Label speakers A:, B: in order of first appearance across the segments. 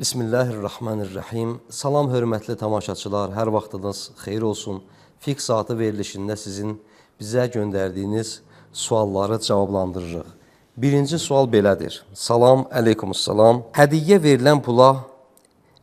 A: Bismillahirrahmanirrahim. Salam hörmətli tamaşaçılar, hər vaxtınız xeyir olsun. Fiqh saatı verilişində sizin bizə göndərdiyiniz sualları cavablandırırıq. Birinci sual belədir. Salam, əleykumussalam. Hədiyyə verilən pula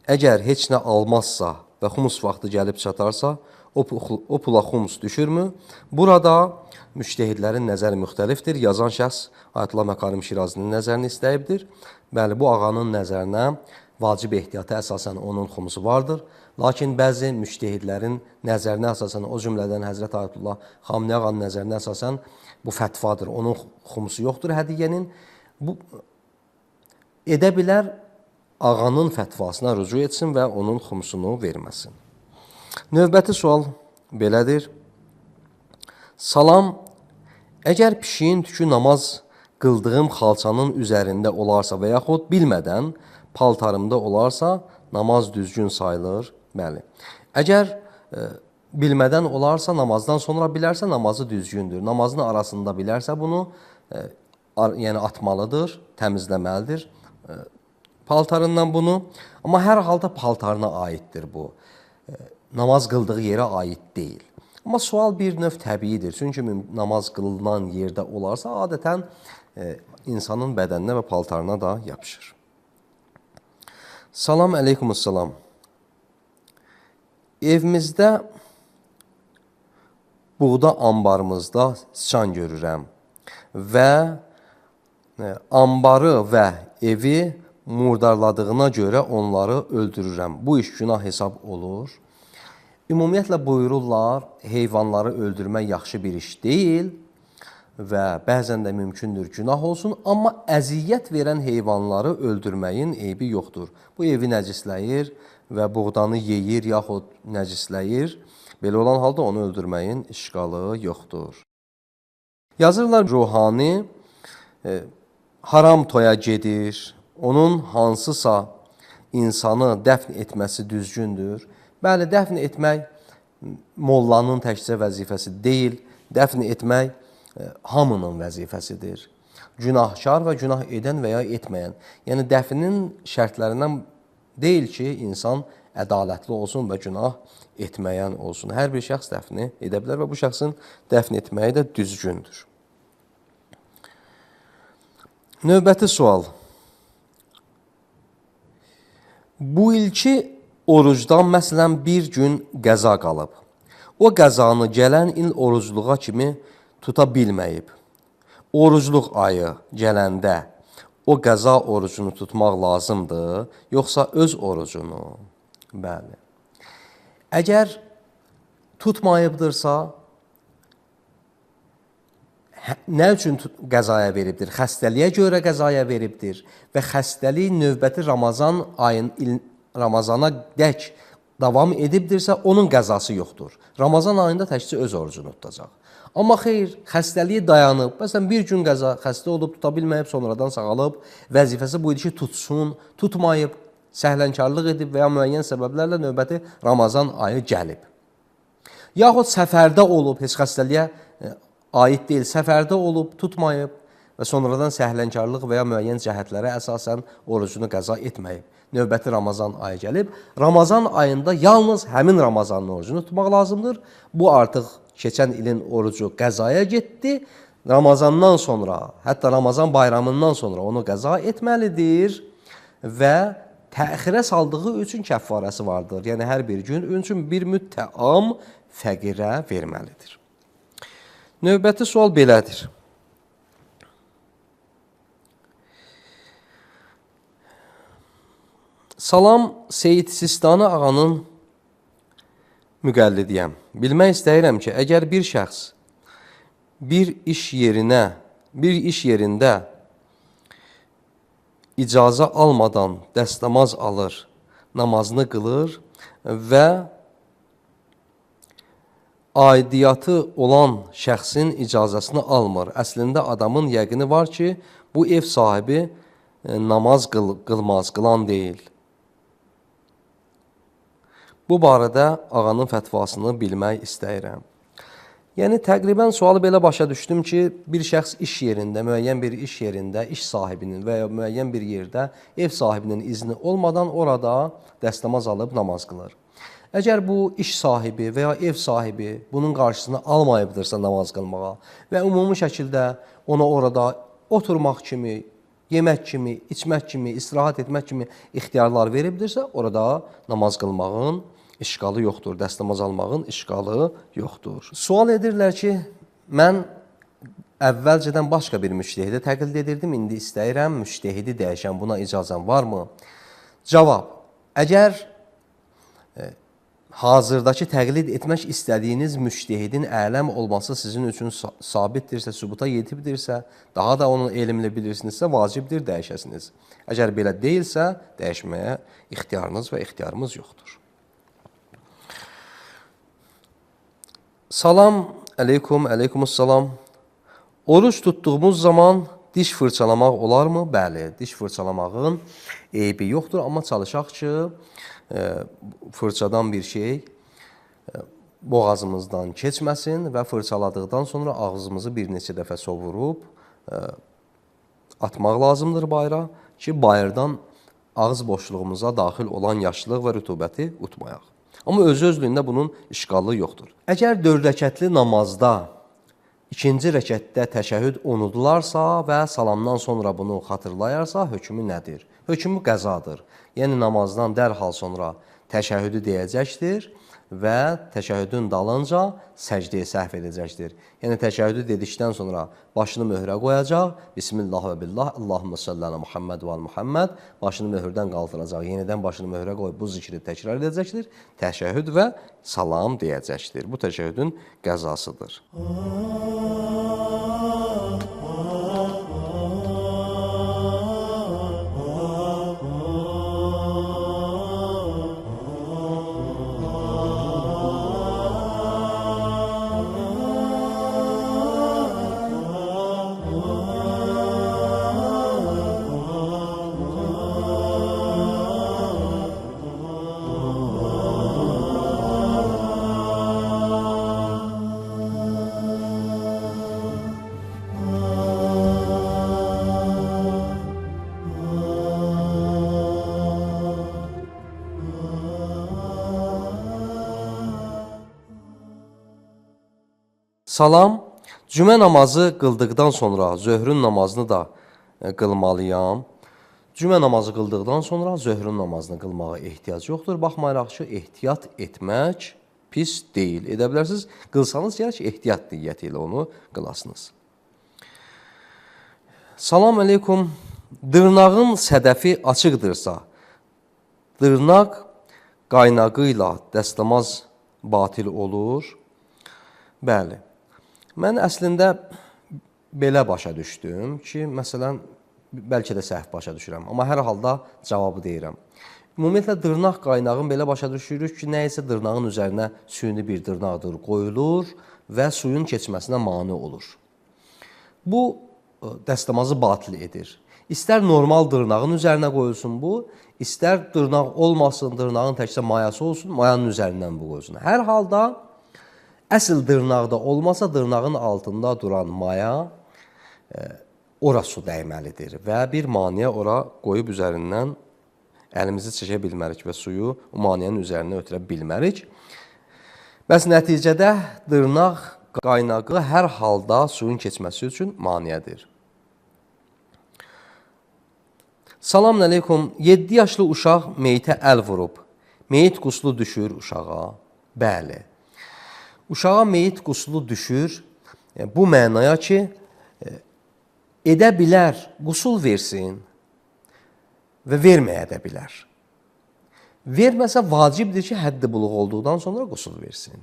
A: əgər heç nə almazsa və xumus vaxtı gəlib çatarsa, o pula xumus düşürmü? Burada müştəhidlərin nəzəri müxtəlifdir. Yazan şəxs Ayətullah Məkarim Şirazinin nəzərini istəyibdir. Bəli, bu ağanın nəzərinə vacib ehtiyata əsasən onun xumusu vardır. Lakin bəzi müştəhidlərin nəzərinə əsasən, o cümlədən Həzrət Ayətullah Xameneyi ağanın nəzərinə əsasən bu fətvadır. Onun xumusu yoxdur hədiyyənin. Bu edə bilər ağanın fətvasına rücu etsin və onun xumusunu verməsin. Növbəti sual belədir. Salam, əgər pişiyin tükü namaz qıldığım xalçanın üzərində olarsa və yaxud bilmədən paltarımda olarsa, namaz düzgün sayılır. Bəli. Əgər bilmədən olarsa, namazdan sonra bilərsə, namazı düzgündür. Namazın arasında bilərsə, bunu yəni atmalıdır, təmizləməlidir paltarından bunu. Amma hər halda paltarına aiddir bu. Namaz qıldığı yerə aid deyil. Amma sual bir növ təbiidir. Çünki namaz qılınan yerdə olarsa, adətən insanın bədəninə və paltarına da yapışır. Salam, əleykumussalam. Evimizdə, buğda ambarımızda sıçan görürəm və ambarı və evi murdarladığına görə onları öldürürəm. Bu iş günah hesab olur. Ümumiyyətlə buyururlar, heyvanları öldürmək yaxşı bir iş deyil və bəzən də mümkündür günah olsun, amma əziyyət verən heyvanları öldürməyin eybi yoxdur. Bu evi nəcisləyir və buğdanı yeyir yaxud nəcisləyir. Belə olan halda onu öldürməyin işqalı yoxdur. Yazırlar, ruhani haram toya gedir, onun hansısa insanı dəfn etməsi düzgündür. Bəli, dəfn etmək mollanın təkcə vəzifəsi deyil, dəfn etmək hamının vəzifəsidir. Günahkar və günah edən və ya etməyən. Yəni, dəfnin şərtlərindən deyil ki, insan ədalətli olsun və günah etməyən olsun. Hər bir şəxs dəfni edə bilər və bu şəxsin dəfn etməyi də düzgündür. Növbəti sual. Bu ilki orucdan məsələn bir gün qəza qalıb. O qəzanı gələn il orucluğa kimi tuta bilməyib. Orucluq ayı gələndə o qəza orucunu tutmaq lazımdır, yoxsa öz orucunu? Bəli. Əgər tutmayıbdırsa, nə üçün qəzaya veribdir? Xəstəliyə görə qəzaya veribdir və xəstəlik növbəti Ramazana dək davam edibdirsə, onun qəzası yoxdur. Ramazan ayında təkcə öz orucunu tutacaq. Amma xeyr, xəstəliyi dayanıb, məsələn, bir gün xəstə olub, tuta bilməyib, sonradan sağalıb, vəzifəsi bu idi ki, tutsun, tutmayıb, səhlənkarlıq edib və ya müəyyən səbəblərlə növbəti Ramazan ayı gəlib. Yaxud səfərdə olub, heç xəstəliyə aid deyil, səfərdə olub, tutmayıb və sonradan səhlənkarlıq və ya müəyyən cəhətlərə əsasən orucunu qəza etməyib. Növbəti Ramazan ayı gəlib. Ramazan ayında yalnız həmin Ramazanın orucunu tutmaq lazımdır. Bu artıq keçən ilin orucu qəzaya getdi. Ramazandan sonra, hətta Ramazan bayramından sonra onu qəza etməlidir və təxirə saldığı üçün kəffarəsi vardır. Yəni, hər bir gün üçün bir müddəam fəqirə verməlidir. Növbəti sual belədir. Salam, Seyid Sistani ağanın müqəllidiyəm. Bilmək istəyirəm ki, əgər bir şəxs bir iş yerində icazə almadan dəstəmaz alır, namazını qılır və aidiyyatı olan şəxsin icazəsini almır. Əslində adamın yəqini var ki, bu ev sahibi namaz qılmaz, qılan deyil. Bu barədə ağanın fətvasını bilmək istəyirəm. Yəni təqribən sualı belə başa düşdüm ki, bir şəxs iş yerində, müəyyən bir iş yerində, iş sahibinin və ya müəyyən bir yerdə ev sahibinin izni olmadan orada dəstəmaz alıb namaz qılır. Əgər bu iş sahibi və ya ev sahibi bunun qarşısını almayıbdırsa namaz qılmağa və ümumi şəkildə ona orada oturmaq kimi, yemək kimi, içmək kimi, istirahət etmək kimi ixtiyarlar veribdirsə, orada namaz qılmağın işqalı yoxdur, dəstəmaz almağın işqalı yoxdur. Sual edirlər ki, mən əvvəlcədən başqa bir müştəhidi təqlid edirdim, indi istəyirəm müştəhidi dəyişən, buna icazəm varmı? Cavab, əgər hazırdakı təqlid etmək istədiyiniz müştəhidin ələm olması sizin üçün sabitdirsə, sübuta yetibdirsə, daha da onun elmini bilirsinizsə, vacibdir dəyişəsiniz. Əgər belə deyilsə, dəyişməyə ixtiyarınız və ixtiyarımız yoxdur. Salam əleykum, əleykumussalam. Oruç tutduğumuz zaman diş fırçalamaq olarmı? Bəli, diş fırçalamağın eybi yoxdur, amma çalışaq ki, fırçadan bir şey boğazımızdan keçməsin və fırçaladıqdan sonra ağzımızı bir neçə dəfə sovurub atmaq lazımdır bayıra ki, bayırdan ağız boşluğumuza daxil olan yaşlılıq və rütubəti utmayaq. Amma özü-özlüyündə bunun işqallığı yoxdur. Əgər 4 rəkətli namazda ikinci rəkətdə təşəhhüd unudularsa və salamdan sonra bunu xatırlayarsa, hökmü nədir? Hökmü qəzadır. Yəni namazdan dərhal sonra təşəhhüdü deyəcəkdir və təşəhhüdün dalınca səcdəyə səhv edəcəkdir. Yəni təşəhhüdü dedikdən sonra başını möhrə qoyacaq. Bismillah və billah, Allahümmə salli alə Muhammed və Muhammed. Başını möhürdən qaldıracaq. Yenidən başını möhrə qoyub bu zikri təkrar edəcəkdir. Təşəhhüd və salam deyəcəkdir. Bu təşəhhüdün qəzasıdır. Salam, cümə namazı qıldıqdan sonra zöhrün namazını da qılmalıyam. Cümə namazı qıldıqdan sonra zöhrün namazını qılmağa ehtiyac yoxdur. Baxmayaraq ki, ehtiyat etmək pis deyil. Edə bilərsiniz, qılsanız gəlir ki, ehtiyat niyyəti ilə onu qılasınız. Salam əleykum, dırnağın sədəfi açıqdırsa, dırnaq qaynağı ilə dəstəmaz batil olur. Bəli. Mən əslində belə başa düşdüm ki, məsələn, bəlkə də səhv başa düşürəm, amma hər halda cavabı deyirəm. Ümumiyyətlə, dırnaq qaynağın belə başa düşürük ki, nə isə dırnağın üzərinə süni bir dırnaqdır qoyulur və suyun keçməsinə mane olur. Bu, dəstəmazı batil edir. İstər normal dırnağın üzərinə qoyulsun bu, istər dırnaq olmasın, dırnağın təkcə mayası olsun, mayanın üzərindən bu qoyulsun. Hər halda, əsl dırnaqda olmasa, dırnağın altında duran maya ora su dəyməlidir və bir maniyə ora qoyub üzərindən əlimizi çəkə bilmərik və suyu o maniyənin üzərinə ötürə bilmərik. Bəs nəticədə dırnaq qaynağı hər halda suyun keçməsi üçün maniyədir. Salam əleykum, 7 yaşlı uşaq meyitə əl vurub, meyit quslu düşür uşağa. Bəli. Uşağa meyit quslu düşür, bu mənaya ki, edə bilər, qusul versin və verməyə də bilər. Verməsə vacibdir ki, həddi buluq olduqdan sonra qusul versin.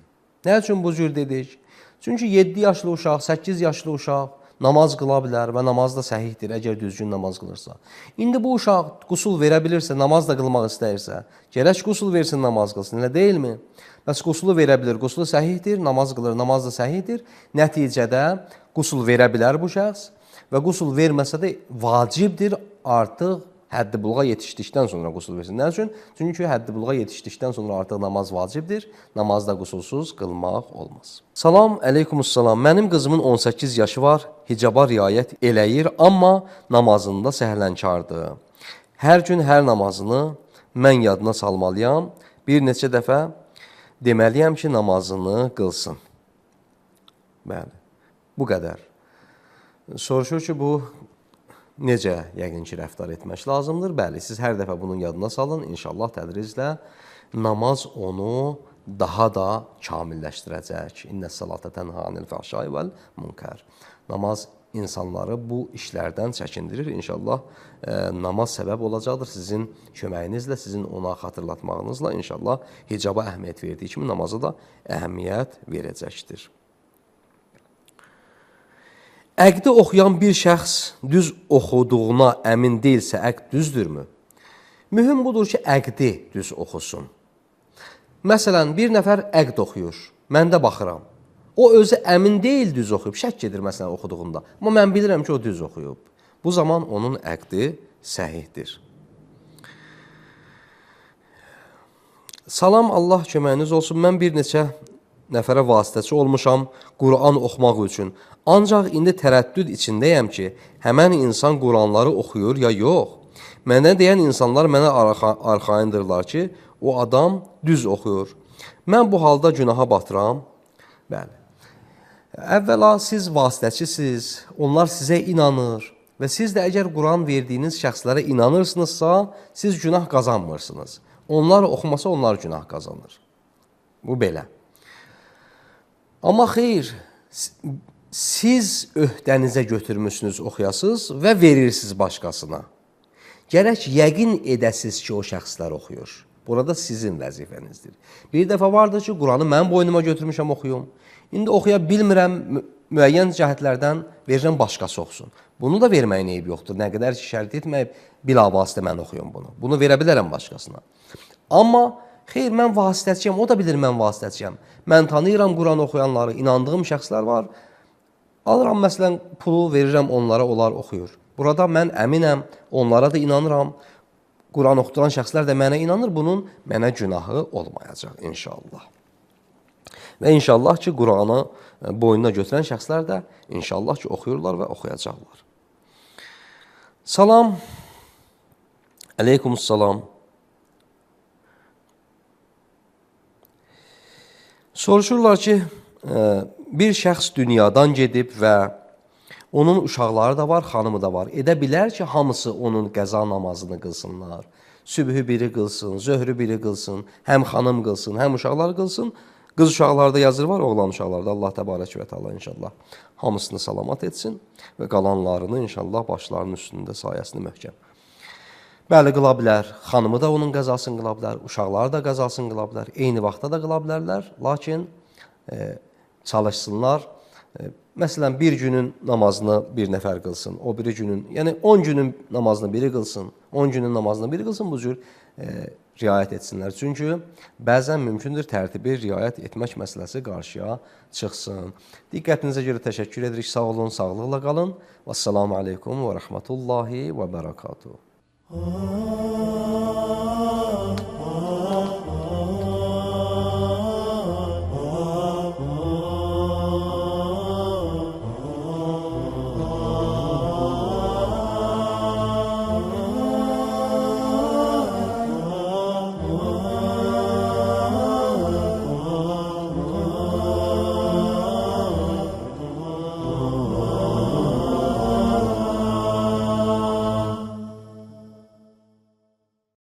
A: Nə üçün bu cür dedik? Çünki 7 yaşlı uşaq, 8 yaşlı uşaq namaz qıla bilər və namaz da səhihdir, əgər düzgün namaz qılırsa. İndi bu uşaq qusul verə bilirsə, namaz da qılmaq istəyirsə, gərək qusul versin, namaz qılsın, elə deyilmi? Bəs qusulu verə bilir, qusulu səhihdir, namaz qılır, namaz da səhihdir. Nəticədə qusul verə bilər bu şəxs və qusul verməsə də vacibdir, artıq həddi buluğa yetişdikdən sonra qusul versin. Nə üçün? Çünki həddi buluğa yetişdikdən sonra artıq namaz vacibdir. Namazda qusulsuz qılmaq olmaz. Salam, əleykumussalam. Mənim qızımın 18 yaşı var, hicaba riayət eləyir, amma namazında səhlənkardır. Hər gün hər namazını mən yadına salmalıyam. Bir neçə dəfə deməliyəm ki, namazını qılsın. Bəli, bu qədər. Soruşur ki, bu necə yəqin ki, rəftar etmək lazımdır? Bəli, siz hər dəfə bunun yadına salın. İnşallah tədriclə namaz onu daha da kamilləşdirəcək. İnnəs-salata tənha anil fəhşai vəl munkar. Namaz insanları bu işlərdən çəkindirir. İnşallah namaz səbəb olacaqdır sizin köməyinizlə, sizin ona xatırlatmağınızla. İnşallah hicaba əhəmiyyət verdiyi kimi namaza da əhəmiyyət verəcəkdir. Əqdi oxuyan bir şəxs düz oxuduğuna əmin deyilsə, əqd düzdürmü? Mühüm budur ki, əqdi düz oxusun. Məsələn, bir nəfər əqd oxuyur, mən də baxıram. O özü əmin deyil düz oxuyub, şək edir məsələn oxuduğunda. Amma mən bilirəm ki, o düz oxuyub. Bu zaman onun əqdi səhihdir. Salam, Allah köməyiniz olsun. Mən bir neçə nəfərə vasitəçi olmuşam Quran oxumaq üçün. Ancaq indi tərəddüd içindəyəm ki, həmən insan Quranları oxuyur ya yox. Mənə deyən insanlar mənə arxayındırlar ki, o adam düz oxuyur. Mən bu halda günaha batıram. Bəli. Əvvəla siz vasitəçisiz, onlar sizə inanır və siz də əgər Quran verdiyiniz şəxslərə inanırsınızsa, siz günah qazanmırsınız. Onlar oxumasa onlar günah qazanır. Bu belə. Amma xeyr, siz öhdənizə götürmüşsünüz, oxuyasınız və verirsiniz başqasına. Gərək yəqin edəsiz ki, o şəxslər oxuyur. Burada sizin vəzifənizdir. Bir dəfə vardır ki, Quranı mən boynuma götürmüşəm, oxuyum. İndi oxuya bilmirəm, müəyyən cəhətlərdən verirəm başqası oxusun. Bunu da verməyin eyb yoxdur. Nə qədər ki, şərt etməyib, bilavasitə mən oxuyum bunu. Bunu verə bilərəm başqasına. Amma xeyr, mən vasitəçiyəm, o da bilir mən vasitəçiyəm. Mən tanıyıram Quran oxuyanları, inandığım şəxslər var. Alıram, məsələn, pulu verirəm onlara, onlar oxuyur. Burada mən əminəm, onlara da inanıram. Quran oxuduran şəxslər də mənə inanır, bunun mənə günahı olmayacaq inşallah. Və inşallah ki, Quranı boynuna götürən şəxslər də inşallah ki, oxuyurlar və oxuyacaqlar. Salam, əleykumussalam. Soruşurlar ki, bir şəxs dünyadan gedib və onun uşaqları da var, xanımı da var. Edə bilər ki, hamısı onun qəza namazını qılsınlar. Sübhü biri qılsın, zöhrü biri qılsın, həm xanım qılsın, həm uşaqlar qılsın. Qız uşaqlarda yazır var, oğlan uşaqlarda. Allah təbarək və təala inşallah hamısını salamat etsin və qalanlarını inşallah başlarının üstündə sayəsini möhkəm. Bəli, qıla bilər. Xanımı da onun qəzasını qıla bilər, uşaqları da qəzasını qıla bilər. Eyni vaxtda da qıla bilərlər, lakin çalışsınlar. Məsələn, bir günün namazını bir nəfər qılsın, o biri günün, yəni 10 günün namazını biri qılsın, 10 günün namazını biri qılsın, bu cür riayət etsinlər. Çünki bəzən mümkündür tərtibi riayət etmək məsələsi qarşıya çıxsın. Diqqətinizə görə təşəkkür edirik. Sağ olun, sağlıqla qalın. Vəssalamu aleykum və rəhmətullahi və bərəkatuhu.